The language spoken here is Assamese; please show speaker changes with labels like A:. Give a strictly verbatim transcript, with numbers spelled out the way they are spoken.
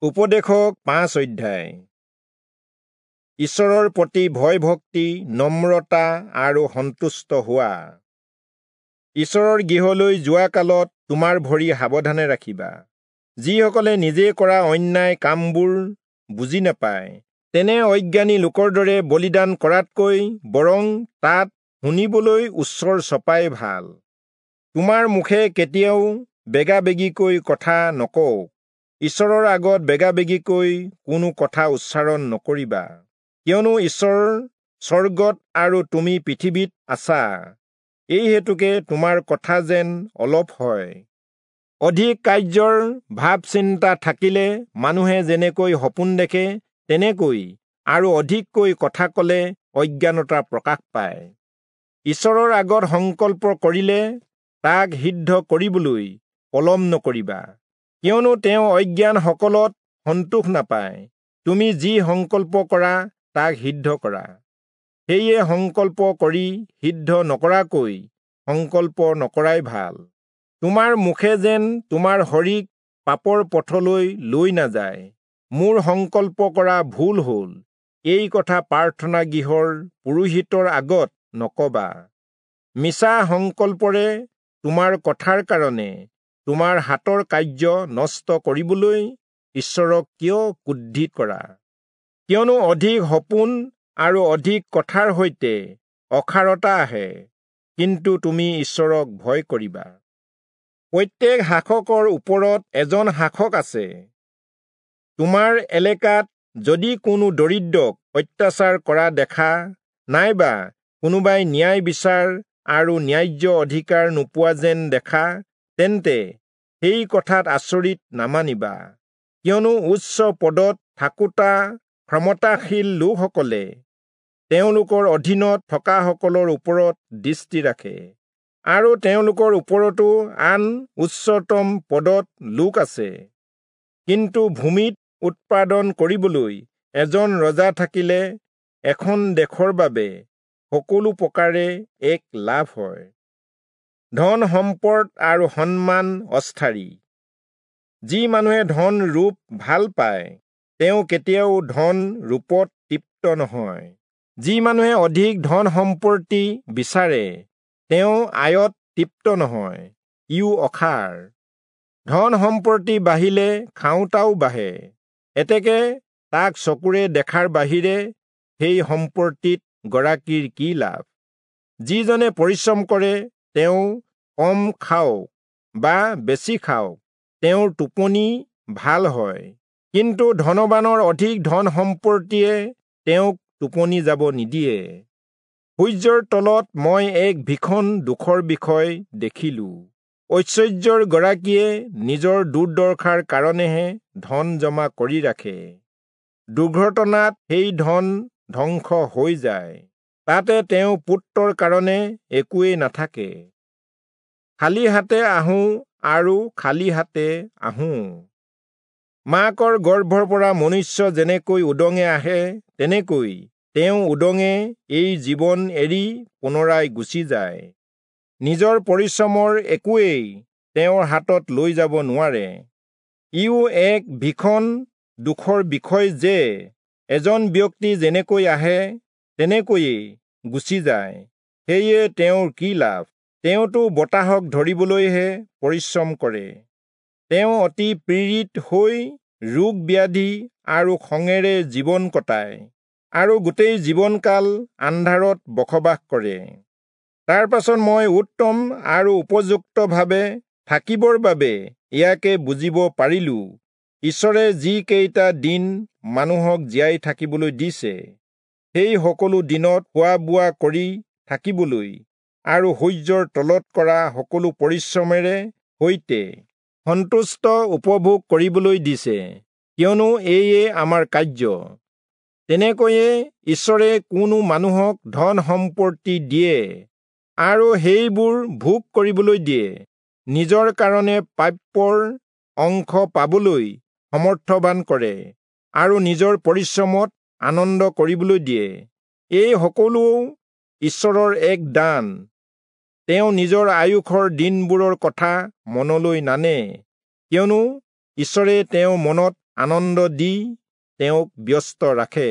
A: উপদেশক পাঁচ অধ্যায়। ঈশ্বৰৰ প্ৰতি ভয় ভক্তি, নম্ৰতা আৰু সন্তুষ্ট হোৱা। ঈশ্বৰৰ গৃহলৈ যোৱা কালত তোমাৰ ভৰি সাৱধানে ৰাখিবা। যিসকলে নিজে কৰা অন্যায় কামবোৰ বুজি নাপায়, তেনে অজ্ঞানী লোকৰ দৰে বলিদান কৰাতকৈ বৰং তাত শুনিবলৈ ওচৰ চপাই ভাল। তোমাৰ মুখে কেতিয়াও বেগাবেগিকৈ কথা নকওক। ঈশ্বৰৰ আগত বেগাবেগিকৈ কোনো কথা উচ্চাৰণ নকৰিবা, কিয়নো ঈশ্বৰ স্বৰ্গত আৰু তুমি পৃথিৱীত আছা। এই হেতুকে তোমাৰ কথা যেন অলপ হয়। অধিক কাৰ্যৰ ভাৱ চিন্তা থাকিলে মানুহে যেনেকৈ সপোন দেখে, তেনেকৈ আৰু অধিককৈ কথা কলে অজ্ঞানতা প্ৰকাশ পায়। ঈশ্বৰৰ আগত সংকল্প কৰিলে তাক সিদ্ধ কৰিবলৈ পলম নকৰিবা, কিয়নো তেওঁ অজ্ঞানসকলত সন্তোষ নাপায়। তুমি যি সংকল্প কৰা তাক সিদ্ধ কৰা। সেয়ে সংকল্প কৰি সিদ্ধ নকৰাকৈ সংকল্প নকৰাই ভাল। তোমাৰ মুখে যেন তোমাৰ শৰীক পাপৰ পথলৈ লৈ নাযায়। মোৰ সংকল্প কৰা ভুল হ'ল, এই কথা প্ৰাৰ্থনা গৃহৰ পুৰোহিতৰ আগত নকবা। মিছা সংকল্পৰে তোমাৰ কথাৰ কাৰণে তোমাৰ হাতৰ কাৰ্য নষ্ট কৰিবলৈ ঈশ্বৰক কিয় ক্ৰোধিত কৰা? কিয়নো অধিক সপোন আৰু অধিক কথাৰ সৈতে অসাৰতা আহে, কিন্তু তুমি ঈশ্বৰক ভয় কৰিবা। প্ৰত্যেক শাসকৰ ওপৰত এজন শাসক আছে। তোমাৰ এলেকাত যদি কোনো দৰিদ্ৰক অত্যাচাৰ কৰা দেখা, নাইবা কোনোবাই ন্যায় বিচাৰ আৰু ন্যায্য অধিকাৰ নোপোৱা যেন দেখা, তেন্তে সেই কথাত আচৰিত নামানিবা। কিয়নো উচ্চ পদত থাকোঁতা ক্ষমতাশীল লোকসকলে তেওঁলোকৰ অধীনত থকাসকলৰ ওপৰত দৃষ্টি ৰাখে, আৰু তেওঁলোকৰ ওপৰতো আন উচ্চতম পদত লোক আছে। কিন্তু ভূমিত উৎপাদন কৰিবলৈ এজন ৰজা থাকিলে এখন দেশৰ বাবে সকলো প্ৰকাৰে এক লাভ হয়। ধন সম্পদ আৰু সন্মান অস্থায়ী। যি মানুহে ধন ৰূপ ভাল পায়, তেওঁ কেতিয়াও ধন ৰূপত তৃপ্ত নহয়। যি মানুহে অধিক ধন সম্পত্তি বিচাৰে, তেওঁ আয়ত তৃপ্ত নহয়, ইও অসাৰ। ধন সম্পত্তি বাঢ়িলে খাওঁতাও বাঢ়ে, এতেকে তাক চকুৰে দেখাৰ বাহিৰে সেই সম্পত্তিত গৰাকীৰ কি লাভ? যিজনে পৰিশ্ৰম কৰে তেওঁ কম খাওক বা বেছি খাওক, তেওঁৰ টোপনি ভাল হয়। কিন্তু ধনবানৰ অধিক ধন সম্পত্তিয়ে তেওঁক টোপনি যাব নিদিয়ে। সূৰ্যৰ তলত মই এক ভীষণ দুখৰ বিষয় দেখিলোঁ। ঐশ্বৰ্যৰ গৰাকীয়ে নিজৰ দুৰ্দশাৰ কাৰণেহে ধন জমা কৰি ৰাখে। দুৰ্ঘটনাত সেই ধন ধ্বংস হৈ যায়, তাতে তেওঁ পুত্ৰৰ কাৰণে একোৱেই নাথাকে। খালী হাতে আহোঁ আৰু খালী হাতে আহোঁ। মাকৰ গৰ্ভৰ পৰা মনুষ্য যেনেকৈ উদঙে আহে, তেনেকৈ তেওঁ উদঙে এই জীৱন এৰি পুনৰাই গুচি যায়। নিজৰ পৰিশ্ৰমৰ একোৱেই তেওঁৰ হাতত লৈ যাব নোৱাৰে। ইও এক ভীষণ দুখৰ বিষয় যে এজন ব্যক্তি যেনেকৈ আহে তেনেকৈয়ে গুচি যায়। সেয়ে তেওঁৰ কি লাভ? তেওঁতো বতাহক ধৰিবলৈহে পৰিশ্ৰম কৰে। তেওঁ অতি পীড়িত হৈ ৰোগ ব্যাধি আৰু খঙেৰে জীৱন কটায়, আৰু গোটেই জীৱনকাল আন্ধাৰত বসবাস কৰে। তাৰ পাছত মই উত্তম আৰু উপযুক্তভাৱে থাকিবৰ বাবে ইয়াকে বুজিব পাৰিলোঁ, ঈশ্বৰে যিকেইটা দিন মানুহক জীয়াই থাকিবলৈ দিছে, সেই সকলো দিনত খোৱা বোৱা কৰি থাকিবলৈ আৰু সূৰ্যৰ তলত কৰা সকলো পৰিশ্ৰমেৰে সৈতে সন্তুষ্ট উপভোগ কৰিবলৈ দিছে, কিয়নো এয়ে আমাৰ কাৰ্য। তেনেকৈয়ে ঈশ্বৰে কোনো মানুহক ধন সম্পত্তি দিয়ে আৰু সেইবোৰ ভোগ কৰিবলৈ দিয়ে, নিজৰ কাৰণে প্ৰাপ্যৰ অংশ পাবলৈ সমৰ্থবান কৰে আৰু নিজৰ পৰিশ্ৰমত আনন্দ কৰিবলৈ দিয়ে। এই সকলো ঈশ্বৰৰ এক দান। তেওঁ নিজৰ আয়ুসৰ দিনবোৰৰ কথা মনলৈ নানে, কিয়নো ঈশ্বৰে তেওঁৰ মনত আনন্দ দি তেওঁক ব্যস্ত ৰাখে।